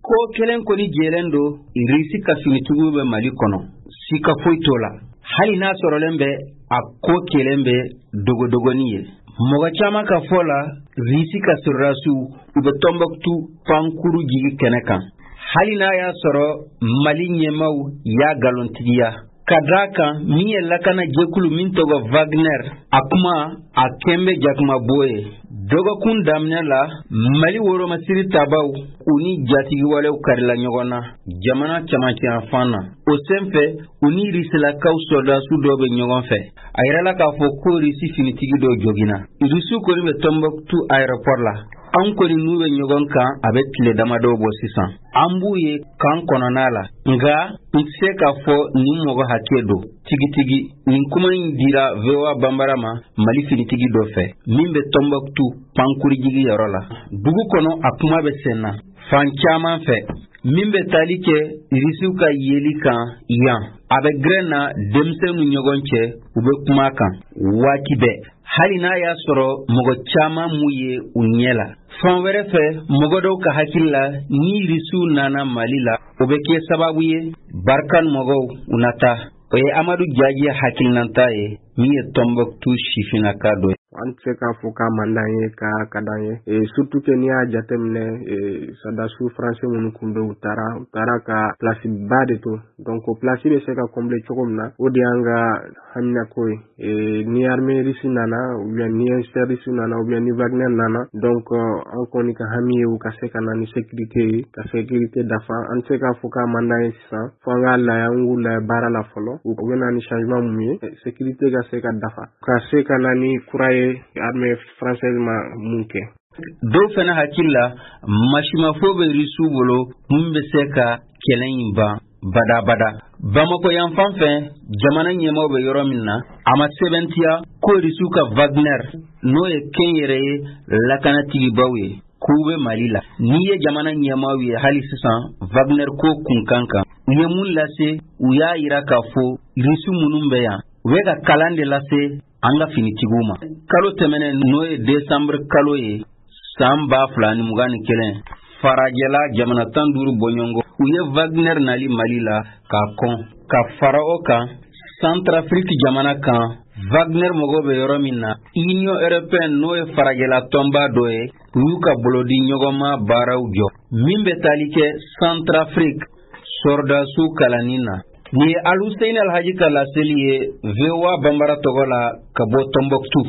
Ko kelen kɔni jɛlen don, Irisi ka finitigiw bɛ Mali kɔnɔ, sika foyi t'o la. Hali n'a sɔrɔlen bɛ a ko kelen bɛ dogodogonin ye. Mɔgɔ caman ka fɔ la, Risi ka sɔrɔdasiw u bɛ Tɔnbɔkutu pankuru jigi kɛnɛ kan. Hali n'a y'a sɔrɔ Mali ɲɛmaaw y'a nkalontigiya. Ka d'a kan min ye lakana jɛkulu min tɔgɔ Wagner, a kuma a kɛn bɛ jakumabo ye. Dɔgɔkun daminɛ la, Mali woromasiri tabaw u ni jatigiwalew karila ɲɔgɔn na jamana camancɛyanfan na. O senfɛ, u ni Risilakaw sɔrɔdasiw dɔw bɛ ɲɔgɔn fɛ. A yirala k'a fɔ ko Risi finitigi dɔw joginna. Risiw kɔni bɛ Tɔnbɔkutu aéroport la. An kɔni n'u bɛ ɲɔgɔn kan a bɛ tile damadɔw bɔ sisan. An b'u ye kan kɔnɔna la. Nka n tɛ se k'a fɔ nin mɔgɔ hakɛ don tigitigi. Nin kuma in dira VOA Banbara ma Mali finitigi dɔ fɛ min bɛ Tɔnbɔkutu pankurujigi yɔrɔ la. Dugu kɔnɔ a kuma bɛ sen na fan caman fɛ. Min bɛ tali kɛ Irisiw ka yeli kan yan, a bɛ gɛrɛn na denmisɛnw ni ɲɔgɔn cɛ, u bɛ kuma kan waati bɛɛ, hali n'a y'a sɔrɔ mɔgɔ caman m'u ye u ɲɛ la. Fan wɛrɛ fɛ, mɔgɔ dɔw ka hakili la, ni Irisiw nana Mali la, o bɛ kɛ sababu ye Barkhane mɔgɔw u na taa. O ye Amadu Jaji hakilinata ye min ye Tɔnbɔkutu sifinnaka dɔ ye. An tɛ se k'a fɔ k'a man d'an ye k'a ka d'an ye, surtout que n'i y'a jateminɛ, sɔrɔdasiw français minnu tun bɛ, u taara ka place ba de to. Donc o place bɛ se ka combler cogo min na, o de y'an ka haminako ye. Ni armée russe nana, ou bien ni russe nana, ou bien ni Wagner nana, donc an kɔni ka hami ye u ka se ka na ni sécurité ye, ka sécurité dafa. An tɛ se k'a fɔ k'a man d'an ye sisan, fo an k'a lajɛ, an k'u lajɛ baara la fɔlɔ, u bɛ na ni changement mun ye, sécurité ka se ka dafa, ka se ka na ni kura ye armée française ma mun kɛ. Dɔw fana hakili la, masimafo bɛ Risiw bolo mun bɛ se ka kɛlɛ in ban badabada. Bamakɔ yan fan fɛ, jamana ɲɛmaaw bɛ yɔrɔ min na, a ma sɛbɛntiya ko Risiw ka Wagner, n'o ye kɛnyɛrɛye lakanatigibaw ye, k'u bɛ Mali la. N'i ye jamana ɲɛmaaw ye hali sisan Wagner ko kunkan kan, u ye mun lase? U y'a yira k'a fɔ Risi minnu bɛ yan, u bɛ ka kalan de lase an ka finitigiw ma. Kalo tɛmɛnen, n'o ye desanburu kalo ye san 2021, farajɛla jamana 15 bɔɲɔgɔnko u ye Wagner nali Mali la k'a kɔn. Ka fara o kan, Centrafrique jamana kan, Wagner mɔgɔw bɛ yɔrɔ min na, Union européenne, n'o ye farajɛla tɔnba dɔ ye, u y'u ka bolodi ɲɔgɔnma baaraw jɔ min bɛ tali kɛ Centrafrique sɔrɔdasiw kalanni na. Nin ye Aluseyini Alhaji ka laseli ye VOA Banbara tɔgɔ la ka bɔ Tɔnbɔkutu.